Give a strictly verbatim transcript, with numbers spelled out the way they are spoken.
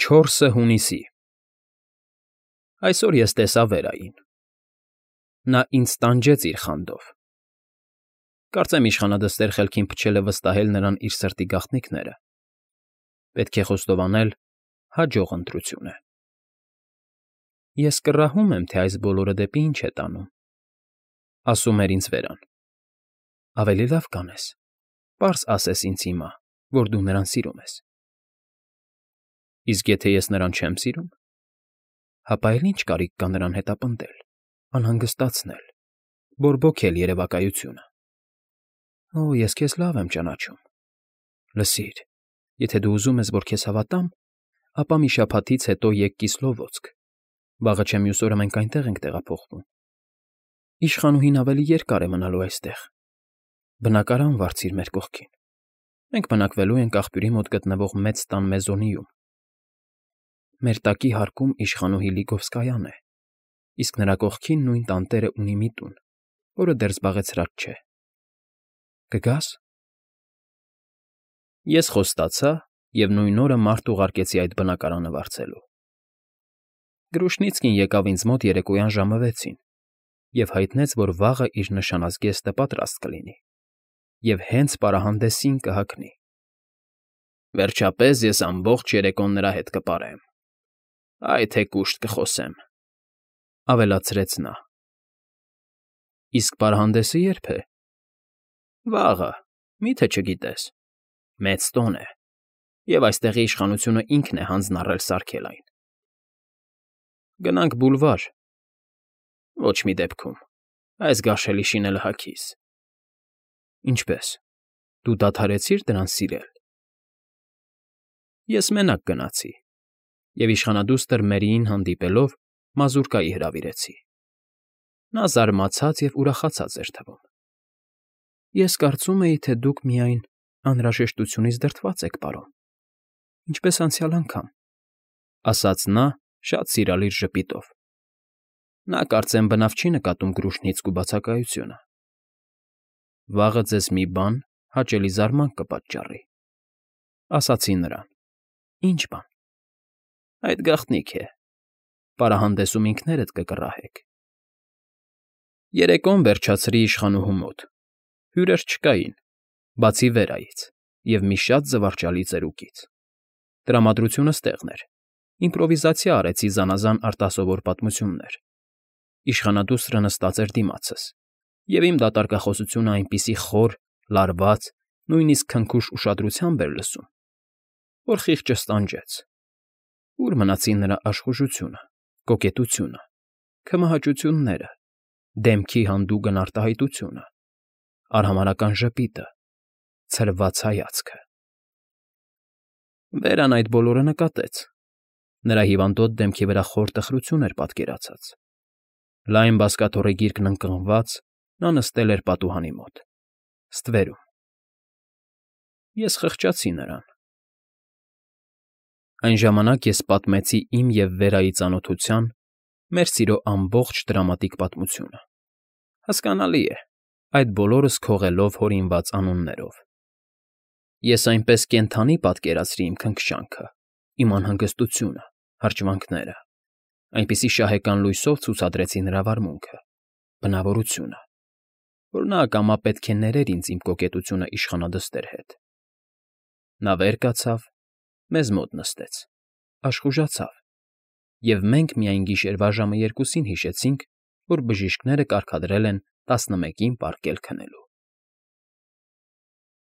չորսը հունիսի Այսօր ես տեսա Վերային։ Նա ինձ տանջեց իր խանդով։ Կարծեմ իշխանադստեր խելքին փչել է վստահել նրան իր սրտի գաղտնիքները։ Պետք է խոստովանել, հաջող ընտրություն է։ Ես կռահում եմ, թե այս բոլորը դեպի ինչ է տանում, ասում էր ինձ Վերան։ Ավելի լավ կանես, պարզ ասես ինձ հիմա, որ դու նրան սիրում ես։ Իսկ եթե ես նրան չեմ սիրում, հապա էլ ինչ կարիք կա նրան հետապնդել, անհանգստացնել, բորբոքել երևակայությունը։ Օ, ես քեզ լավ եմ ճանաչում։ Լսիր, եթե դու ուզում ես, որ քեզ հավատամ, ապա մի շաբաթից հետո եկ Կիսլովոդսկ, վաղը չէ մյուս օրը մենք այնտեղ ենք տեղափոխվում։ Իշխանուհին ավելի երկար է մնալու այստեղ։ Բնակարան վարձիր մեր կողքին։ Մենք բնակվելու ենք աղբյուրի մոտ գտնվող մեծ տան մեզոնիում։ Մեր տակի հարկում իշխանուհի Լիգովսկայան է, իսկ նրա կողքին նույն տանտերը ունի մի տուն, որը դեռ զբաղեցրած չէ։ Կգա՞ս։ Ես խոստացա և նույն օրը մարդ ուղարկեցի այդ բնակարանը վարձելու։ Գրուշնիցկին եկավ ինձ մոտ երեկոյան ժամը վեցին և հայտնեց, որ վաղը իր նշանած գեստը պատրաստ կլինի և հենց պարահանդեսին կհագնի։ Վերջապես ես ամբողջ երեկոն նրա հետ կպարեմ։ Այ թե կուշտ կխոսեմ,֊ ավելացրեց նա։ Իսկ պարահանդեսը ե՞րբ է։ Վաղը, մի՞թե չգիտես։ Մեծ տոն է, և այստեղի իշխանությունը ինքն է հանձն առել սարքել այն։ Գնանք բուլվար։ Ոչ մի դեպքում, այս գարշելի շինելը հագիս։ Ինչպե՞ս, դու դադարեցի՞ր դրան սիրել։ Ես մենակ գնացի և իշխանադուստր Մերիին հանդիպելով մազուրկայի հրավիրեցի։ Նա զարմացած և ուրախացած էր թվում։ Ես կարծում էի, թե դուք միայն անհրաժեշտությունից դրդված եք պարում, ինչպես անցյալ անգամ,֊ ասաց նա շատ սիրալիր ժպիտով։ Նա կարծեմ բնավ չի նկատում Գրուշնիցկու բացակայությունը։ Վաղը ձեզ մի բան հաճելի զարմանք կպատճառի,֊ ասացի նրան։ Ինչ բան։ Այդ գաղտնիք է, պարահանդեսում ինքներդ կկռահեք։ Երեկոն վերջացրի իշխանուհու մոտ։ Հյուրեր չկային, բացի Վերայից և մի շատ զվարճալի ծերուկից։ Տրամադրությունը ստեղն էր, իմպրովիզացիա արեցի զանազան արտասովոր պատմություններ։ Իշխանադուստրը նստած էր դիմացս, և իմ դատարկախոսությունը այնպիսի խոր, լարված, նույնիսկ քնքուշ ուշադրությամբ էր լսում, որ խիղճս տանջեց։ Ո՞ւր մնացին նրա աշխուժությունը, կոկետությունը, քմահաճությունները, դեմքի հանդուգն արտահայտությունը, արհամարհական ժպիտը, ցրված հայացքը։ Վերան այդ բոլորը նկատեց։ Նրա հիվանդոտ դեմքի վրա խոր տխրություն էր պատկերացած։ Լայն բազկաթոռի գիրկն ընկղմված՝ նա նստել էր պատուհանի մոտ, ստվերում։ Ես խղճացի նրան։ Այն ժամանակ ես պատմեցի իմ և Վերայի ծանոթության, մեր սիրո ամբողջ դրամատիկ պատմությունը։ Հասկանալի է, այդ բոլորս քողելով հորինված անուններով։ Ես այնպես կենդանի պատկերացրի իմ քնքշանքը, իմ անհանգստությունը, հրճվանքները, այնպիսի շահեկան լույսով ցուցադրեցի նրա վարմունքը, բնավորությունը, որ նա ակամա պետք է ներեր ինձ իմ կոկետությունը իշխանադստեր հետ։ Նա վեր կացավ, մեզ մոտ նստեց, աշխուժացավ, և մենք միայն գիշերվա ժամը երկուսին հիշեցինք, որ բժիշկները կարգադրել են տասնմեկին պառկել քնելու։